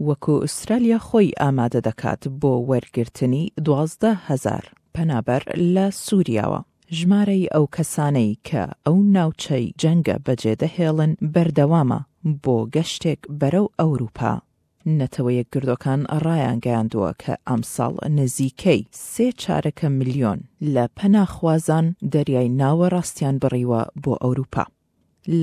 وەکو ئوسترالیا خۆی ئامادە دەکات بۆ وەرگرتنی 12,000 پەنابەر لە سوریاوە. ژمارەی ئەو کەسانەی کە ئەو ناوچەی جەنگە بەجێدەهێڵن بەردەوامە بۆ گەشتێک بەرەو ئەوروپا. نەتەوە یەکگردوەکان ڕایانگەیاندووە کە ئەمساڵ نزیکەی سێ چارەکە ملیۆن لە پەناخوازان دەریای ناوەڕاستیان بڕیوە بۆ ئەوروپا.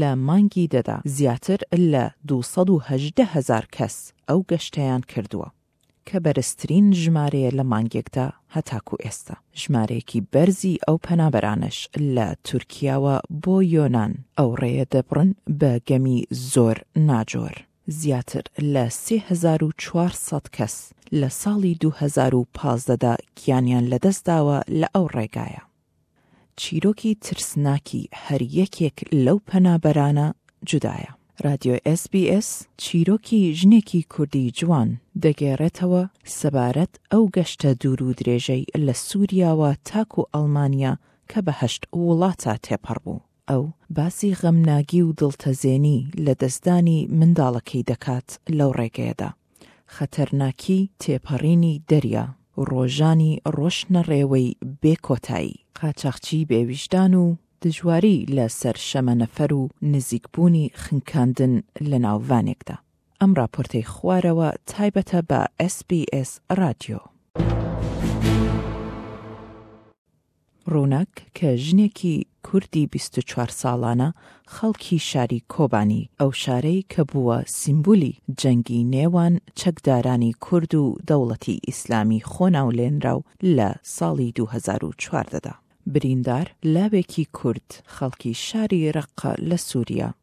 لە مانگی دەدا زیاتر لە 218 هەزار کەس ئەو گەشتەیان کردووە، کە بەرزترین ژمارەیە لە مانگێکدا هەتاکو ئێستا. ژمارەیەکی بەرزی ئەو پەنابەرانەش لە تورکیاوە بۆ یۆنان ئەو ڕێیە دەبڕن بە گەمی زۆر ناجۆر. زیاتر لە 3400 کەس لە ساڵی 2015 دا گیانیان لەدەستداوە لە ئەو ڕێگایە. چیرۆکی ترسناکی هەر یەکێک لەو پەنابەرانە جودایە. رادیۆ ئێس بی ئێس چیرۆکی ژنێکی کوردی جوان دەگێڕێتەوە سەبارەت ئەو گەشتە دوور و درێژەی لە سوریاوە تاکو ئەڵمانیا کە بە هەشت وڵاتا تێپەڕ بوو. ئەو باسی غەمناگی و دڵتەزێنی لە دەستدانی منداڵەکەی دەکات لەو ڕێگەیەدا. خەتەرناکی تێپەڕینی دەریا، ڕۆژانی ڕۆشتنەڕێوەی بێ کۆتایی، قاچاخچی بێ ویژدان و دژواری لە سەر شەمەنەفەر و نزیکبوونی خنکاندن لە ناو ڤانێکدا. ئەم ڕاپۆرتەی خوارەوە تایبەتە بە ئێس بی ئێس ڕادیۆ. ڕووناک کە ژنێکی کوردی 24 ساڵانە خەڵکی شاری کۆبانی، ئەو شارەی کە بووە سیمبولی جەنگی نێوان چەکدارانی کورد و دەوڵەتی ئیسلامی خۆناولێنراو لە ساڵی 2014 دا. بریندار لاوێکی کورد خەڵکی شاری ڕەققە لە سوریا،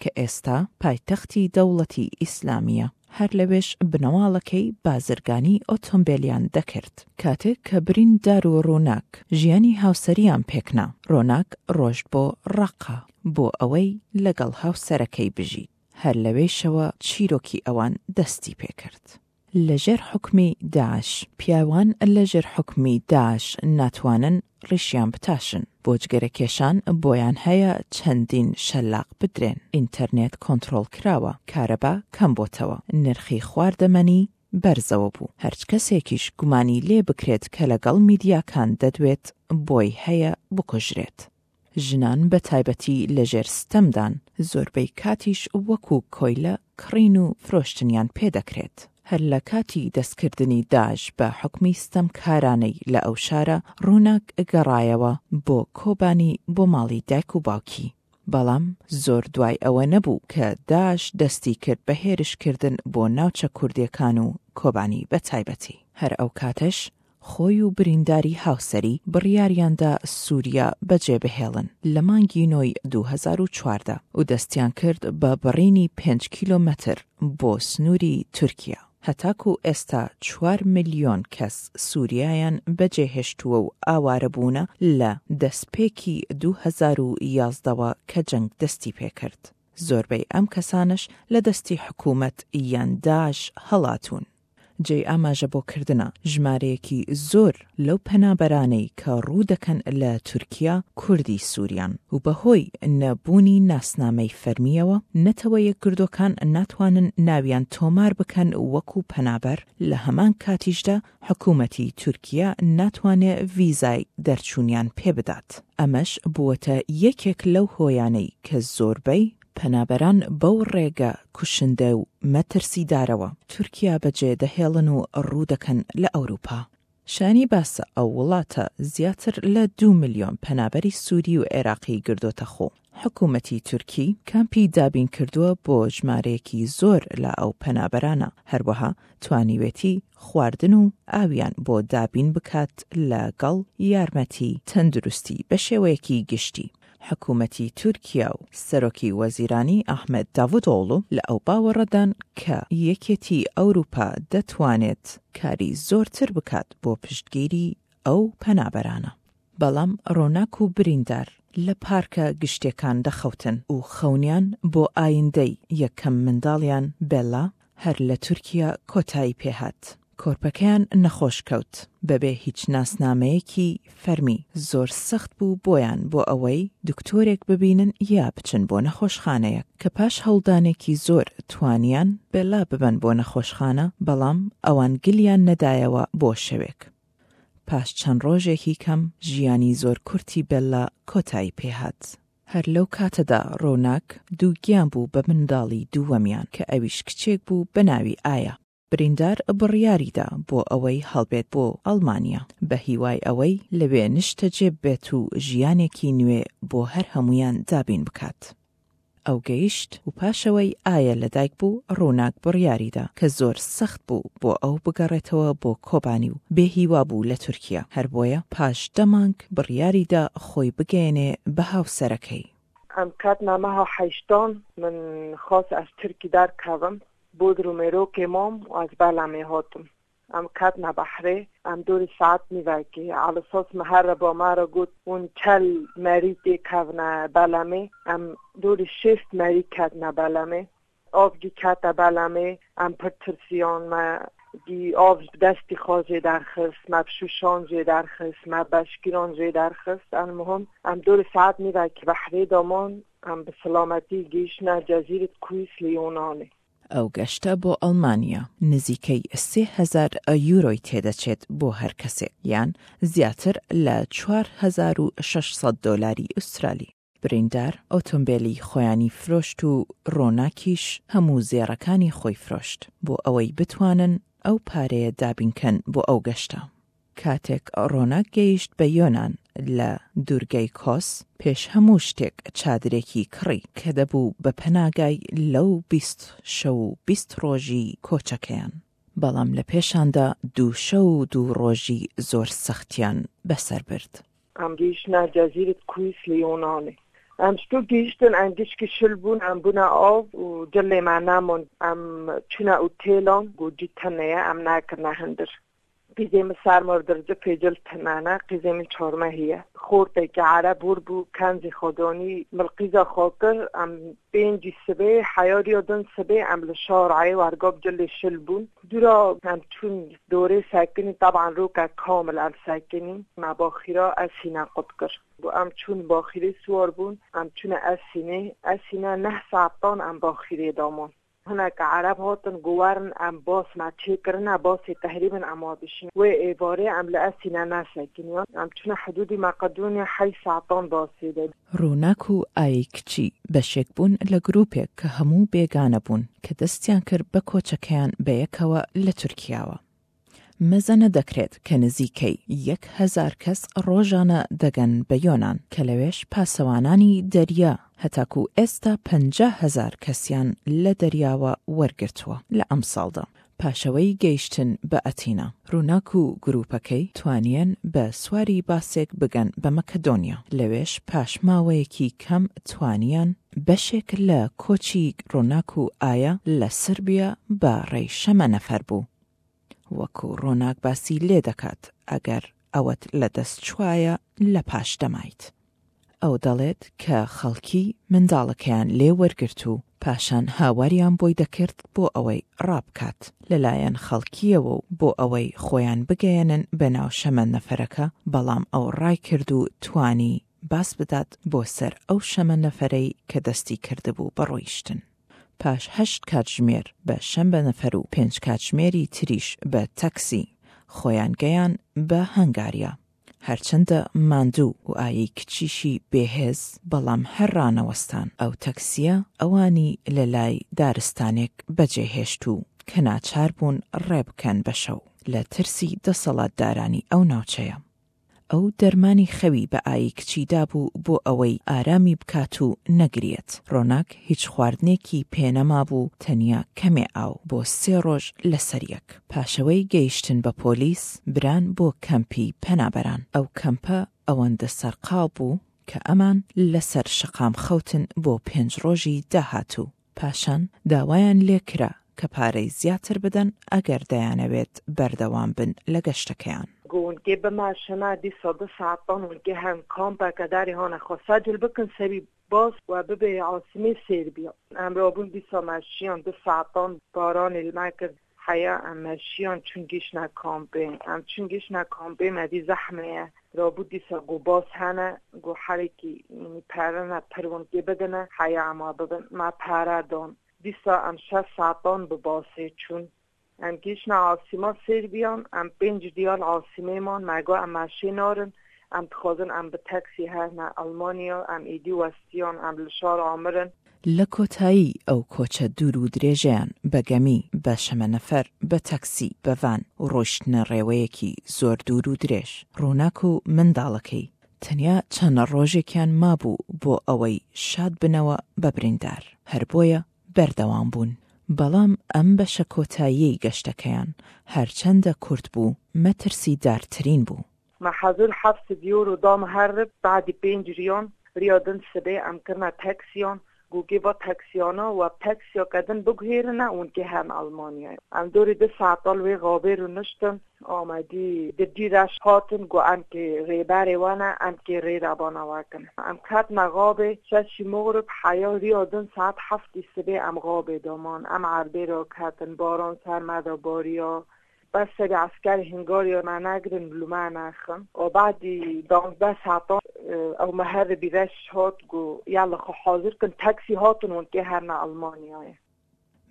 کە ئێستا پایتەختی دەوڵەتی ئیسلامییە، هەر لەوێش بنەماڵەکەی بازرگانی ئۆتۆمبێلیان دەکرد. کاتێک کە بریندار و ڕووناک ژیانی هاوسەریان پێکنا، ڕۆناک ڕۆشت بۆ ڕەققە بۆ ئەوەی لەگەڵ هاوسەرەکەی بژیت، هەر لەوێیشەوە چیرۆکی ئەوان دەستی پێکرد. لە ژێر حوکمی داعش. پیاوان لە ژێر حوکمی داعش ناتوانن ڕیشیان بتاشن. بۆ جگەرە کێشان بۆیان هەیە چەندین شەلاق بدرێن. ئینتەرنێت کۆنتڕۆڵ کراوە. کارەبا کەم بۆتەوە. نرخی خواردەمەنی بەرزەوە بوو. هەرچ کەسێکیش گومانی لێ بکرێت کە لەگەڵ میدیاکان دەدوێت بۆی هەیە بکوژرێت. ژنان بە تایبەتی لە ژێر ستەمدان، زۆربەی کاتیش وەکو کۆیلە کڕین و فرۆشتنیان پێ دەکرێت. هەر لە کاتی دەستکردنی داعش بە حوکمی ستەمکارانەی لە ئەو شارە، ڕووناک گەڕایەوە بۆ کۆبانی بۆ ماڵی دایک و باوکی. بەڵام زۆر دوای ئەوە نەبوو کە داعش دەستی کرد بە هێرشکردن بۆ ناوچە کوردیەکان و کۆبانی بە تایبەتی. هەر ئەو کاتەش خۆی و برینداری هاوسەری بڕیاریاندا سوریا بەجێبهێڵن لە مانگی نۆی 2014 و دەستیان کرد بە بڕینی پێنج کیلۆمەتر بۆ سنووری تورکیا. هەتاکو ئێستا چوار ملیۆن کەس سوریایان بەجێهێشتووە و ئاوارەبوونە لە دەستپێکی 2011 وە کە جەنگ دەستیپێکرد. زۆربەی ئەم کەسانەش لە دەستی حکومەت یان داعش هەڵاتوون. جێی ئاماژە بۆ کردنە، ژمارەیەکی زۆر لەو پەنابەرانەی کە ڕوو دەکەن لە تورکیا کوردی سوریان و بەهۆی نەبوونی ناسنامەی فەرمییەوە نەتەوە یەکگردووەکان ناتوانن ناویان تۆمار بکەن وەکو پەنابەر، لە هەمان کاتیشدا حکومەتی تورکیا ناتوانێ ڤیزای دەرچوونیان پێ بدات. ئەمەش بووەتە یەکێک لەو هۆیانەی کە زۆربەی پەنابەران بەو ڕێگە کوشندە و مەترسیدارەوە تورکیا بەجێ دەهێڵن و ڕوو دەکەن لە ئەوروپا. شایانی باسە ئەو وڵاتە زیاتر لە دوو ملیۆن پەنابەری سوری و عێراقی گردۆتە خۆ. حکومەتی تورکی کامپی دابین کردووە بۆ ژمارەیەکی زۆر لە ئەو پەنابەرانە، هەروەها توانیوێتی خواردن و ئاویان بۆ دابین بکات لە گەڵ یارمەتی تەندروستی بە شێوەیەکی گشتی. حکومەتی تورکیا و سەرۆکی وەزیرانی ئەحمەد داڤودئۆغڵو لە ئەو باوەڕەدان کە یەکێتی ئەوروپا دەتوانێت کاری زۆرتر بکات بۆ پشتگیری ئەو پەنابەرانە. بەڵام ڕۆناک و بریندار لە پارکە گشتیەکان دەخەوتن و خەونیان بۆ ئایندەی یەکەم منداڵیان بێلا هەر لە تورکیا کۆتایی پێهات. کۆرپەکەیان نەخۆش کەوت بەبێ هیچ ناسنامەیەکی فەرمی، زۆر سەخت بوو بۆیان بۆ ئەوەی دکتۆرێک ببینن یا بچن بۆ نەخۆشخانەیەک، کە پاش هەوڵدانێکی زۆر توانیان بێلا ببەن بۆ نەخۆشخانە، بەڵام ئەوان گلیان نەدایەوە بۆ شەوێک. پاش چەند ڕۆژێکی کەم ژیانی زۆر کورتی بێللا کۆتایی پێهات. هەر لەو کاتەدا ڕۆناک دووگیان بوو بە منداڵی دووەمیان کە ئەویش کچێک بوو بە ناوی ئایا. بریندار بڕیاریدا بۆ ئەوەی هەڵبێت بۆ ئەڵمانیا بە هیوای ئەوەی لەوێ نشتەجێ ببێت و ژیانێکی نوێ بۆ هەر هەموویان دابین بکات. ئەو گەیشت و پاشەوەی ئایا لەدایک بوو ڕووناک بڕیاریدا کە زۆر سەخت بوو بۆ ئەو بگەڕێتەوە بۆ کۆبانی و بێ هیوا بوو لە تورکیا هەر بۆیە پاش دە مانگ بڕیاریدا خۆی بگەیەنێ بە هاوسەرەکەی. ئەم کات نامەها حەیشتان من خاس ئەز تورکی دەرکەڤم بۆدرومێرۆکێ مام و ئەز بەلەمێ هاتم. ئەم کەتنە بەحرێ ئەم دۆری ساعەت نیڤەکێ عەلەساس مهەرە با مەرە گوت ون چەل مەری تێ کەڤنە بەلەمێ ئەم دۆری شێست مەری کەتنە بەلەمێ ئاڤ گی کەتە بەلەمێ ئەم پر ترسیان مە گی ئاڤ دەستی خوا ژێ دەرخست مە بشوشان ژێ دەرخست مە بەشکیران ژێ دەرخست ئەلمهم ئەم دۆری ساعەت نیڤەکێ بەحرێ دامان ئەم بە سلامەتی گەیشتنە جەزیرت کویس لە یۆنانێ. ئەو گەشتە بۆ ئەڵمانیا نزیکەی 3000 یورۆی تێدەچێت بۆ هەر کەسێک، یان زیاتر لە 4600 دۆلاری ئوسترالی. بریندار ئۆتۆمبێلی خۆیانی فرۆشت و ڕۆناکیش هەموو زێڕەکانی خۆی فرۆشت بۆ ئەوەی بتوانن ئەو پارەیە دابینکەن بۆ ئەو گەشتە. کاتێک ڕۆناک گەیشت بە یۆنان لە دوورگەی کۆس، پێش هەموو شتێک چادرێکی کڕی کە دەبوو بە پەناگای لەو 20 شەو و 20 ڕۆژی کۆچەکەیان. بەڵام لە پێشاندا دوو شەو و دوو ڕۆژی زۆر سەختیان بەسەر برد. ئەم گەیشتنە جەزیرت کویس لە یۆنانێ. ئەم شتۆ گەیشتن ئەم گشکی شل بوون ئەم بوونە ئاو و جلێ مە نەمان. ئەم چوونە ئوتێلان گۆ جی تنێیە ئەم نەکردنە هندر. قیزێ من سەرما درجفێ جل تنەنە قیزێ من چارمە هیە. خۆرتێکی عەرەب ور بوو کەنزی خۆدانی مل قیزا خۆ کرد ئەم پێنجی سبێ حەیاریا دن سبێ ئەم لە شارعێ وەرگاب جلێ شل بوون. دوورا ئەم چوون دۆرێ سەکنی تەبعەن رۆکە کامل ئەم سەکنی مە باخیرا ئەسینە قوت کرد. بۆ ئەم چوون باخیرێ سوار بوون ئەم چوونە ئەسینێ ئەسینە نەه سەعتان ئەم باخیرێ دامان. هەنەکە عەرەب هاتن گو وەرن ئەم باس مە چێ کرنە باسێ تەهریبن ئەم وا بشین وێ ئێڤارێ ئەم لە ئەسینە نەسەکنیان ئەم چونە حدودی مەقدونیا حەی سەعتان باسێ دە. ڕووناک و ئای کچی بەشێک بوون لە گروپێک کە هەموو بێگانە بوون کە دەستیان کرد بە کۆچەکەیان بەیەکەوە لە تورکیاوە. مەزەنە دەکرێت کە نزیکەی 1000 کەس ڕۆژانە دەگەن بە یۆنان کە لەوێش پاسەوانانی دەریا هەتاکو ئێستا 50 هەزار کەسیان لە دەریاوە وەرگرتووە لە ئەمساڵدا. پاشەوەی گەیشتن بە ئەتینا، ڕووناک و گرووپەکەی توانیان بە سواری باسێک بگەن بە مەکەدۆنیا، لەوێش پاش ماوەیەکی کەم توانیان بەشێک لە کۆچی ڕووناک و ئایا لە سربیا بە ڕێی شەمەنەفەر بوو. وەکو ڕۆناک باسی لێ دەکات ئەگەر ئەوەت لە دەست چوایە لە پاش دەمایت. ئەو دەڵێت کە خەڵکی منداڵەکەیان لێ وەرگرت و پاشان هاواریان بۆی دەکرد بۆ ئەوەی ڕابکات لەلایەن خەڵکییەوە و بۆ ئەوەی خۆیان بگەیەنن بە ناو شەمەندەفەرەکە، بەڵام ئەو ڕایکرد و توانی باز بدات بۆ سەر ئەو شەمەندەفەرەی کە دەستی کردبوو بە ڕۆیشتن. پاش هەشت کاتژمێر بە شەمبەنەفەر و پێنج کاتژمێری تریش بە تەکسی خۆیان گەیان بە هەنگاریا. هەرچەندە ماندوو و ئایەی کچیشی بێهێز، بەڵام هەر ڕانەوەستان. ئەو تەکسییە ئەوانی لە لای دارستانێک بەجێ هێشت و کە ناچار بوون ڕێ بکەن بە شەو لە ترسی دەسەڵاتدارانی ئەو ناوچەیە. ئەو دەرمانی خەوی بە ئایی کچی دابوو بۆ ئەوەی ئارامی بکات و نەگریەت. ڕۆناک هیچ خواردنێکی پێ نەمابوو تەنیا کەمێ ئاو بۆ سێ ڕۆژ لەسەر یەک. پاشەوەی گەیشتن بە پۆلیس بران بۆ کەمپی پەنابەران. ئەو کەمپە ئەوەندە سەرقاڵ بوو کە ئەمان لەسەر شەقام خەوتن بۆ پێنج ڕۆژی داهاتوو. پاشان داوایان لێکرا کە پارەی زیاتر بدەن ئەگەر دەیانەوێت بەردەوام بن لە گەشتەکەیان. گونکێ بماشنا دیسا دو ساعتان ونکێ هەم کامپەکە داری هانە خۆ سەجل بکن سەری باس و ببێ عاسمێ سێر بیا ئەم رابوون دیسا مەشیان دو ساعتان بارانی لمە کرد. حەیا ئەم مەشیان چون گیشتنە کامپێ. ئەم چون گیشتنە کامپێ مە دی زەحمەیە. رابوو دیسا گو باس هەنە گو حەرێکی یعنی پارە نە پرون کێ بدنە حەیا ئەما ببن. مە پارە دان. دیسا ئەم شەش ساعتان بە باسێ چوون. ئەم گیشتنە عاسیما سێربیان ئەم پێنج دیال عاسیمێ مان مە گو ئەم مەشێ نارن ئەم دخوازن ئەم بە تەکسی هەرنە ئەڵمانیا ئەم ئیدی وەستیان ئەم لە شار ئامرن. لە کۆتایی ئەو کۆچە دوور و درێژەیان بە گەمی، بە شەمەنەفەر، بە تەکسی، بە ڤان و ڕۆیشتنە ڕێوەیەکی زۆر دوور و درێژ، ڕووناک و منداڵەکەی تەنیا چەند ڕۆژێکیان مابوو بۆ ئەوەی شاد بنەوە بە بریندار، هەر بۆیە بەردەوام بوون. بەڵام ئەم بەشە کۆتاییەی گەشتەکەیان هەرچەندە کورت بوو، مەترسیدارترین بوو. مە حەزور حەفت یورو دا مهەرب بەعدی پێنج ریان ریا دن سبێ ئەم کرنە تەکسیان گوگێ ڤا تەکسیانا وە تەکسیا کە دن بگوهێرنە ون کێ هەرن ئەڵمانیای ئەم دۆری دو ساعەتا لوێ غابێ رونشتن ئامەدی ددی رەش هاتن گو ئەم کێ رێبەرێ وەنە ئەم کێ رێ رەبانە وەکن ئەم کەتنە غابێ شەشی مغرب حەیا ریا دن ساعەت حەفتی سبێ ئەم غابێ دامان ئەم عەربێ را کەتن باران سەر مەدا باریا بەس سەری عەسکەر هنگاریا مە نەگرن لومە نەخن و بەعدی دانزدە ساعتان ئەو مهەربی رەش هات گو یەڵە خو حازر کن تەکسی هاتن ون کێ هەرنە ئەڵمانیایە.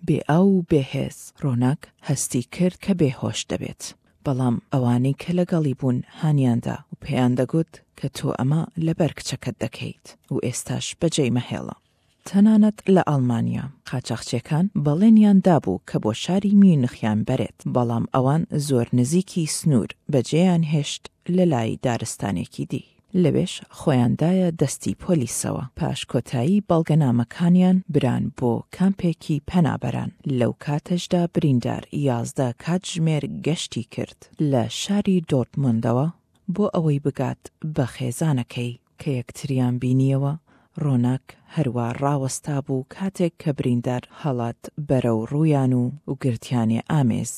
بێ ئاو و بێ هێز، ڕۆناک هەستی کرد کە بێهۆش دەبێت، بەڵام ئەوانەی کە لەگەڵی بوون هانیان دا و پێیان دەگوت کە تۆ ئەمە لەبەر کچەکەت دەکەیت و ئێستاش بەجێی مەهێڵە. تەنانەت لە ئەڵمانیا، قاچاخچیەکان بەڵێنیان دابوو کە بۆ شاری میونخیان بەرێت، بەڵام ئەوان زۆر نزیکی سنوور بەجێیان هێشت لە لای دارستانێکی دی. لەوێش خۆیان دایە دەستی پۆلیسەوە. پاش کۆتایی بەڵگەنامەکانیان بران بۆ کامپێکی پەنابەران. لەو کاتەشدا بریندار 11 کاتژمێر گەشتی کرد لە شاری دۆرتموندەوە بۆ ئەوەی بگات بە خێزانەکەی. کە یەکتریان بینییەوە، ڕۆناک هەروا ڕاوەستابوو کاتێک کە بریندار هەڵات بەرەو ڕوویان و و گرتیانێ ئامێز.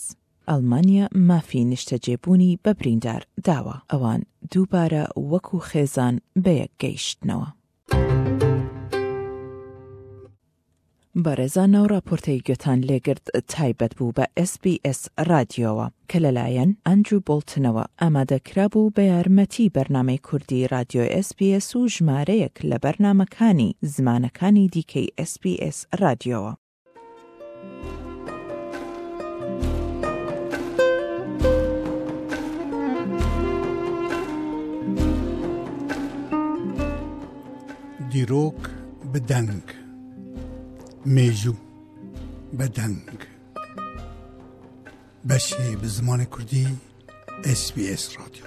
ئەڵمانیا مافی نیشتەجێبوونی بە بریندار داوە. ئەوان دووبارە وەکوو خێزان بەیەک گەیشتنەوە. بەڕێزان ئەو ڕاپۆرتەی گوێتان لێگرت تایبەت بوو بە ئێس بی ئێس ڕادیۆوە کە لەلایەن ئەندرو بۆڵتنەوە ئامادە کرابوو بە یارمەتی بەرنامەی کوردی ڕادیۆ ئێس بی ئێس و ژمارەیەک لە بەرنامەکانی زمانەکانی دیکەی ئێس بی ئێس ڕادیۆوە. دیرۆک bi deng Mêjû bi deng Beşê bi zimanê Kurdî SBS Radyo.